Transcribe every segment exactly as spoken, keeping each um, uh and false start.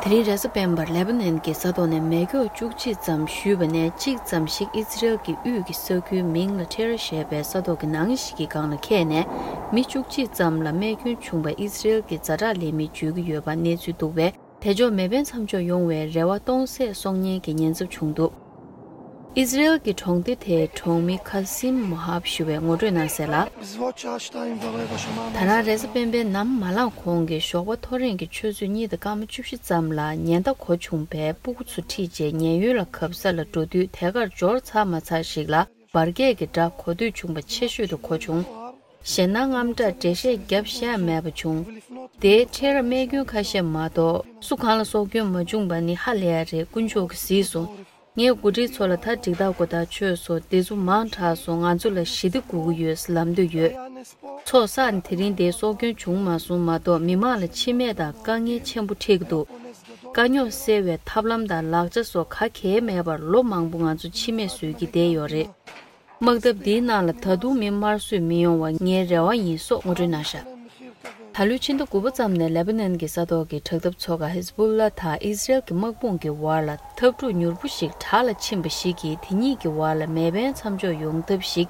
དེ་རིང་རེས་གཟའ་སྤེན་པར་ལེ་པ་ནན་གྱི་ས་ཐོག་ནས་མེ་སྒྱོགས་བཅུ་གཅིག་ཙམ་གཞུས་པ་ནས་གཅིག་ཙམ་ཞིག་ཨི་ཛི་རེལ་གྱི་དབུས་ཀྱི་ས་ཁུལ་མིང་ལ་ཁྲེ་ར་ཞེས་པའི་ས་ཐོག་གི་ནང་ཞིག་གི་སྒང་ལ་ཁེལ་ནས་མི་བཅུ་གཅིག་ཙམ་ལ་རྨས་སྐྱོན་བྱུང་བ་ཨི་ཛི་རེལ་གྱི་ཛ་དྲག་ལས་མིས་བརྗོད་ཀྱི་ཡོད་པ་གནས་ཚུལ་འདུག་པས། དེ་ཕྱོགས་མེ་འཕེན་མཚམས་འཇོག་ཡོང་བའི་རེ་བ་སྟོང་ཟད་སོང་ཉེན་གྱི་ཉེན་ཚབས་བྱུང་འདུག་ཨི་ཛི་རེལ་གྱི་གྲོང་སྡེ་དེའི་གྲོང་མི་ཁ་སིམ་མོ་ཧབ་ཞུ་བས་ངོ་སྤྲོད་གནང་གསལ་ལ། ད་རང་རེས་གཟའ་སྤེན་པའི་ནམ་མ་ལངས་གོང་གི་ཞོགས་པ་ཐོ་རེངས་ཀྱི་ཆུ་ཚོད་གཉིས་དང་སྐར་མ་བཅུ་བཞི་ཙམ་ལ་ཉེན་བརྡ་གོ་བྱུང་བས་སྤུ་གུ་ཚོ་ཁྲིད་རྗེས་ཉེན་གཡོལ་ལ་གབ་ས་ལ་འགྲོ་དུས་དེ་གར་འབྱོར་ཚར་མ་ཚར་ཞིག་ལ་འབར་གས་ཀྱི་སྒྲ་གོ་ཐོས་བྱུང་བ་ཆེ་ཤོས་དུ་གོ་བྱུང་། གཞན་ན་རྔམ་སྐྲག་འགྲེལ་བཤད་རྒྱབ་ཤེས་མེད་པ་བྱུང་། དེའི་ཁྲལ་ར་རྨས་སྐྱོན་ཁ་ཤས་མ་གཏོགས་སུ་གང་ལ་སྲོག་སྐྱོན་མ་བྱུང་བ་ནི་ཧ་ལས་ཡ་རེད། དཀོན་མཆོག་གིས་གཟིགས་སོང་། ངས་འགོ་ཁྲིད་ཚོ་ལ་ད་འགྲིག་ཐག་གོ་ཐག་ཆོད་སོང་། དེ་ཚོ་མང་དྲགས་སོང་། ང་ཚོ་ལ་ཞི་བདེ་དགོས་ཀྱི་ཡོད་ལབ་འདོད་ཡོད། ཚོགས་བསགས་ནས་དེ་རིང་དེ་སྲོག་སྐྱོན་བྱུང་མ་སོང་མ་གཏོགས་མི་མང་ལ་འཆི་རྨས་དང་དཀའ་ངལ་ཆེན་པོ་འཕྲད་ཀྱི་འདུག་དཀའ་རྙོག་སེལ་བའི་ཐབས་ལམ་དང་ལག་ཆ་སོགས་ག་གེ་མེད་པར་ལོ་མང་པོ་ང་ཚོ་འཆི་རྨས་བཟོས་ཀྱི་བསྡད་ཡོད་རེད། དམག་འཐབ་འདིའི་ནང་ལ་ད་དུང་མི་དམར་གསོད་མི་ཡོང་བ་ངའི་རེ་བ་ཡིན་སོགས་ངོ་སྤྲོད་གནང་བཞག་ད་ལོའི་ཕྱི་ཟླ་དགུ་པ་ཙམ་ནས་ལེ་པ་ནན་གྱི་ས་ཐོག་གི་དྲག་འཐབ་ཚོ་ཁག་ཧིས་བུ་ལ་དང་ཨི་ཟི་རེལ་གྱི་དམག་དཔུང་གི་བར་ལ་འཐབ་འཁྲུག་མྱུར་པོ་ཞིག་དྲག་ལ་ཕྱིན་པ་ཞིག་གིས་དེ་གཉིས་ཀྱི་བར་ལ་མེ་འཕེན་མཚམས་འཇོག་ཡོང་ཐབས་ཤིག་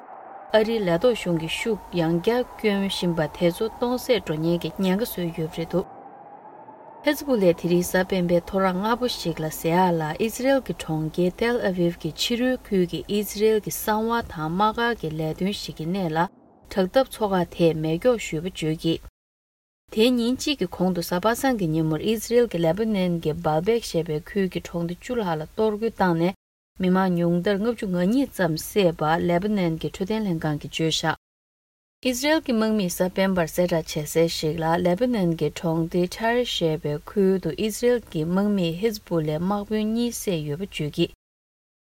ཨ་རིའི་ལས་ཐོག་གཞུང་གིས་ཤུགས་ཡང་བསྐྱར་བསྐྱོན་བཞིན་པ་དེ་ཚོ་སྟོང་ཟད་འགྲོ་ཉེན་གྱི་ཉེན་ཁ་བཟོས་ཡོད་པ་རེད་འདུག་ཧེ་ཛ་བྷོ་ལས་དེ་རིང་གཟའ་སྤེན་པའི་ཐོ་རངས་སྔ་པོ་ཞིག་ལ་ཟེར་ཡག་ལ་ཨི་ཛི་རེལ་གྱི་གྲོང་ཁྱེར་ཏེལ་ཨ་བིབ་ཀྱི་ཕྱི་རོལ་ཁུལ་གྱི་ཨི་ཛི་རེལ་གྱི་གསང་བ་དང་དམག་སྒར་གྱི་ལས་དོན་ཞིག་གི་སྣེ་ལ་དྲག་འཐབ་ཚོ་ཁག་དེས་མེ་སྒྱོགས་གཞུས་པ་བརྗོད་ཀྱིས། དེའི་ཉིན་གཅིག་གི་གོང་དུ་གཟའ་པ་སངས་ཀྱི་ཉིན་མོར་ཨི་ཛི་རེལ་གྱི་ལེ་པ་ནན་གྱི་སྦལ་བེག་ཞེས་པའི་ཁུལ་གྱི་གྲོང་སྡེ་བཅུ་ལྷག་ལ་གཏོར་རྒོལ་བཏང་ནས། མི་མང་ཉུང་མཐར་ལྔ་བཅུ་ང་གཉིས་ཙམ་བསད་པ་ལེ་པ་ནན་གྱི་འཕྲོད་བསྟེན་ལྷན་ཁང་གིས་བརྗོད་བཞག་ཨི་ཟི་རེལ་གྱི་དམག་མིས་གཟའ་སྤེན་པར་གསལ་བསྒྲགས་བྱས་གསལ་ཞིག་ལ་ལེ་པ་ནན་གྱི་གྲོང་སྡེ་ཊར་ཞེས་པའི་ཁུལ་དུ་ཨི་ཟི་རེལ་གྱི་དམག་མིས་ཧིས་བུ་ལའི་དམག་དཔོན་གཉིས་བསད་ཡོད་པ་བརྗོད་ཀྱིས།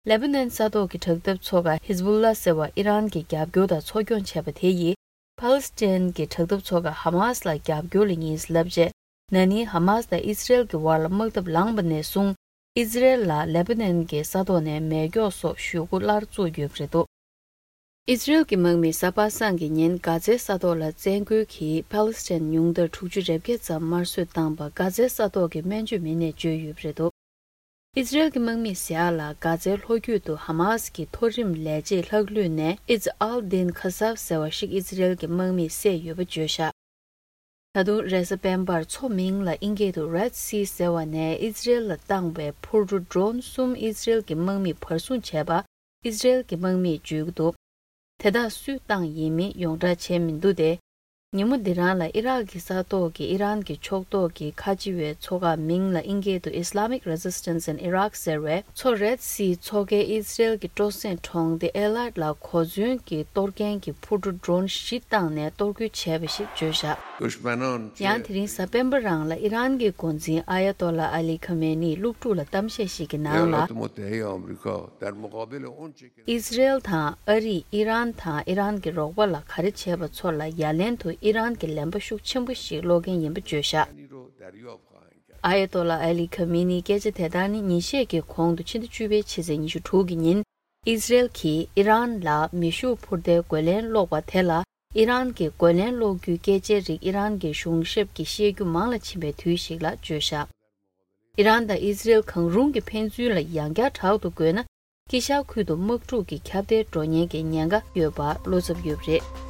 ལེ་པ་ནན་ས་ཐོག་གི་དྲག་འཐབ་ཚོ་ཁག་ཧིས་བུ་ལ་ཟེར་བ་ཨི་རན་གྱིས་རྒྱབ་སྐྱོར་དང་འཚོ་སྐྱོང་བྱས་པ་དེ་ཡིས་ཕཱ་ལི་སི་ཐན་གྱི་དྲག་འཐབ་ཚོ་ཁག་ཧ་མཱ་སི་ལ་རྒྱབ་སྐྱོར་ལ་ཡིན་ལབ་རྗེས། ན་ནིང་ཧ་མཱ་སི་དང་ཨི་ཟི་རེལ་གྱི་བར་ལ་དམག་འཐབ་ལངས་པ་ནས་བཟུང་། ཨི་ཟི་རེལ་ལ་ལེ་པ་ནན་གྱི་ས་ཐོག་ནས་མེ་སྒྱོགས་སོགས་གཞུ་རྒོལ་སླར་བཙུགས་ཡོད་པ་རེད་འདུག་ཨི་ཟི་རེལ་གྱི་དམག་མིས་གཟའ་པ་སངས་ཀྱི་ཉིན་གྷ་ཛའི་ས་ཐོག་ལ་བཙན་རྒོལ་གྱིས་ཕཱ་ལི་སི་ཐན་ཉུང་མཐར་དྲུག་ཅུ་རེ་བརྒྱད་ཙམ་དམར་གསོད་བཏང་པ་གྷ་ཛའི་ས་ཐོག་གི་སྨན་བཅོས་མི་སྣས་བརྗོད་ཡོད་པ་རེད་འདུག་ཨི་ཟི་རེལ་གྱི་དམག་མིས་ཟེར་ཡག་ལ་གྷ་ཛའི་ལྷོ་རྒྱུད་དུ་ཧ་མཱ་སི་གི་མཐོ་རིམ་ལས་བྱེད་ལྷག་ལུས་ནས་ཨི་ཛི་ཨལ་དིན་ཁ་སབ་ཟེར་བ་ཞིག་ཨི་ཟི་རེལ་གྱི་དམག་མིས་བསད་ཡོད་པ་བརྗོད་བཞག་ད་དུང་རེས་གཟའ་སྤེན་པར་མཚོ་མིང་ལ་ཨིན་སྐད་དུ་Red Sea ཟེར་བ་ནས་ཨི་ཛི་རེལ་ལ་བཏང་བའི་འཕུར་གྲུ་ཌོ་རོན་གསུམ་ཨི་ཛི་རེལ་གྱི་དམག་མིས་བར་སྲུང་བྱས་པ་ཨི་ཛི་རེལ་གྱི་དམག་མིས་བརྗོད་ཀྱི་འདུག་དེ་དག་སུས་བཏང་ཡིན་མིན་ཡོངས་བསྒྲགས་བྱས་མི་འདུག་སྟེ། ཉིན་མོ་འདི་རང་ལ་ཨི་རག་གི་ས་ཐོག་གི་ཨི་རན་གྱི་ཕྱོགས་གཏོགས་ཀྱི་ཁ་ཆེ་བའི་ཚོ་ཁག་མིང་ལ་ཨིན་སྐད་དུ་Islamic Resistance in Iraq ཟེར་བས་མཚོ་Red Sea མཚོ་ཁའི་ཨི་ཛི་རེལ་གྱི་སྤྲོ་གསེང་གྲོང་སྡེ་ཨེ་ལཱད་ལ་གོ་མཚོན་གྱི་གཏོར་མཁན་གྱི་འཕུར་གྲུ་ཌོ་རོན་བཞི་བཏང་ནས་གཏོར་རྒོལ་བྱས་པ་ཞིག་བརྗོད་བཞག་ཡང་དེ་རིང་གཟའ་སྤེན་པ་རང་ལ་ཨི་རན་གྱི་འགོ་འཛིན་ཨ་ཡ་ཏོ་ལ་ཨ་ལི་ཁ་མེ་ནིས་སློབ་ཕྲུག་ལ་གཏམ་བཤད་ཞིག་གི་ནང་ལ། ཨི་ཟི་རེལ་དང་ཨ་རིས་ཨི་རན་དང་ཨི་རན་གྱི་རོགས་པ་ལ་ག་རེ་བྱས་པ་ཚོ་ལ་ཡ་ལན་དུ་ཨི་རན་གྱི་ལན་པ་ཤུགས་ཆེན་པོ་ཞིག་སློག་མཁན་ཡིན་པ་བརྗོད་བཞག་ཨ་ཡ་ཏོ་ལ་ཨ་ལི་ཁ་མི་ནིའི་སྐད་ཆ་དེ་ལྟར་ནི་ཉིན་ཤས་ཀྱི་གོང་དུ་ཕྱི་ཟླ་བཅུ་པའི་ཕྱི་ཚེས་ཉི་ཤུ་དྲུག་གི་ཉིན་ཨི་ཟི་རེལ་གྱིས་ཨི་རན་ལ་མེ་ཤུགས་འཕུར་མདའི་རྒོལ་ལན་སློག་པ་དེ་ལ་ཨི་རན་གྱི་རྒོལ་ལན་སློག་རྒྱུའི་སྐད་ཆའི་རིགས་ཨི་རན་གྱི་གཞུང་ཞབས་ཀྱིས་བཤད་རྒྱུ་མང་ལ་ཕྱིན་པའི་དུས་ཤིག་ལ་བརྗོད་བཞག་ཨི་རན་དང་ཨི་ཟི་རེལ་གང་རུང་གི་ཕན་ཚུན་ལ་ཡང་བསྐྱར་དྲག་ཏུ་རྒོལ་ན། དཀྱིལ་ཤར་ཁུལ་དུ་དམག་འཁྲུག་གི་ཁྱབ་གདལ་འགྲོ་ཉེན་གྱི་ཉེན་ཁ་ཡོད་པ་བློ་འཚབ་ཡོད་པ་རེད།